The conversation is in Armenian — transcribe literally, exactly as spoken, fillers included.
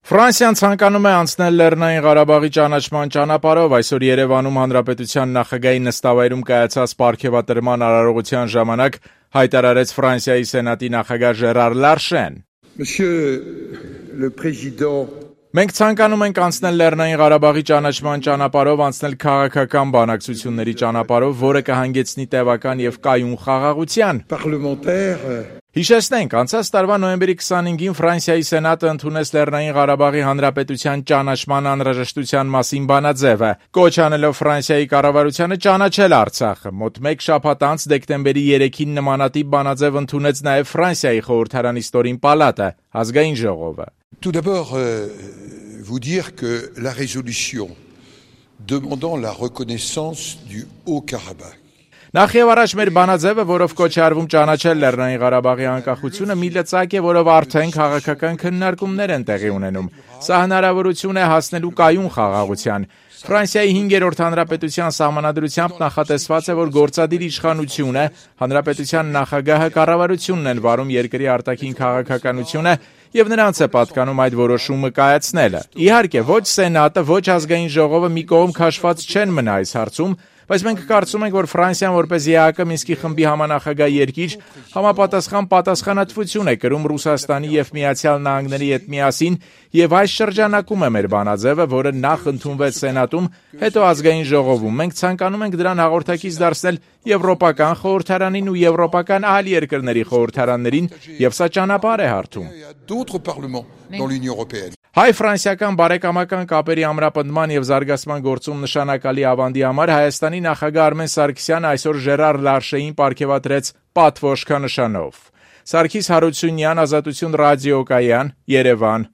Ֆրանսիան ցանկանում է անցնել Լեռնային Ղարաբաղի ճանաչման ճանապարհով։ Այսօր Երևանում Հանրապետության նախագահի նստավայրում կայացած պարգևատրման արարողության ժամանակ հայտարարեց Ֆրանսիայի Սենատի նախագահ Ժերար Լարշեն. Մենք ցանկանում ենք անցնել Լեռնային Ղարաբաղի ճանաչման ճանապարհով, անցնել քաղաքական բանակցությունների ճանապարհով, որը կհանգեցնի տևական եւ կայուն խաղաղության։ Հիշեցնենք, անցած տարվա նոյեմբերի քսանհինգին Ֆրանսիայի Սենատը ընդունեց Լեռնային Ղարաբաղի Հանրապետության ճանաչման անհրաժեշտության մասին բանաձևը, կոչ անելով Ֆրանսիայի կառավարությանը ճանաչել Արցախը։ Մոտ մեկ շաբաթ անց դեկտեմբերի երեքին նմանատիպ բանաձև ընդունեց նաև Ֆրանսիայի խորհրդարանի ստորին պալատը, ազգային ժողովը։ Tout d'abord, euh, vous dire que la résolution demandant la reconnaissance du Haut-Karabakh. Նախ եւ առաջ մեր բանաձևը, որով կոչ է արվում ճանաչել Լեռնային Ղարաբաղի անկախությունը, մի լծակ է, որով արդեն քաղաքական քննարկումներ են տեղի ունենում։ Սա հնարավորություն է հասնելու կայուն խաղաղության։ Ֆրանսիայի հինգերորդ հանրապետության սահմանադրությամբ նախատեսված է, որ գործադիր իշխանությունը, հանրապետության նախագահը, կառավարությունն են վարում երկրի արտաքին քաղաքականությունը եւ նրանց է պատկանում այդ որոշումը կայացնելը։ Իհարկե, ոչ Սենատը, ոչ ազգային ժողովը մի կողմ քաշված չեն մնա այս հարցում, բայց մենք կարծում ենք, որ Ֆրանսիան որպես ԵԱՀԿ Մինսկի խմբի համանախագահ երկիր համապատասխան պատասխանատվություն է կրում Ռուսաստանի եւ Միացյալ Նահանգների հետ միասին, եւ այս շրջանակում է մեր բանաձևը, որը նախ ընդունվեց Սենատում, հետո ազգային ժողովում։ Մենք ցանկանում ենք դրան հաղորդակից դարձնել Եվրոպական խորհրդարանին ու եվրոպական այլ երկրների խորհրդարաններին, եւ սա ճանապարհ է հարթում։ Հայ-ֆրանսիական բարեկամական կապերի ամրապնդման եւ զարգացման գործում նշանակալի ավանդի համար Հայաստանի նախագահ Արմեն Սարգսյանը այսօր Ժերար Լարշեին պարգևատրեց պատվոշքանշանով։ Սարգիս Հարությունյան, Ազատություն ռադիոկայան, Երևան։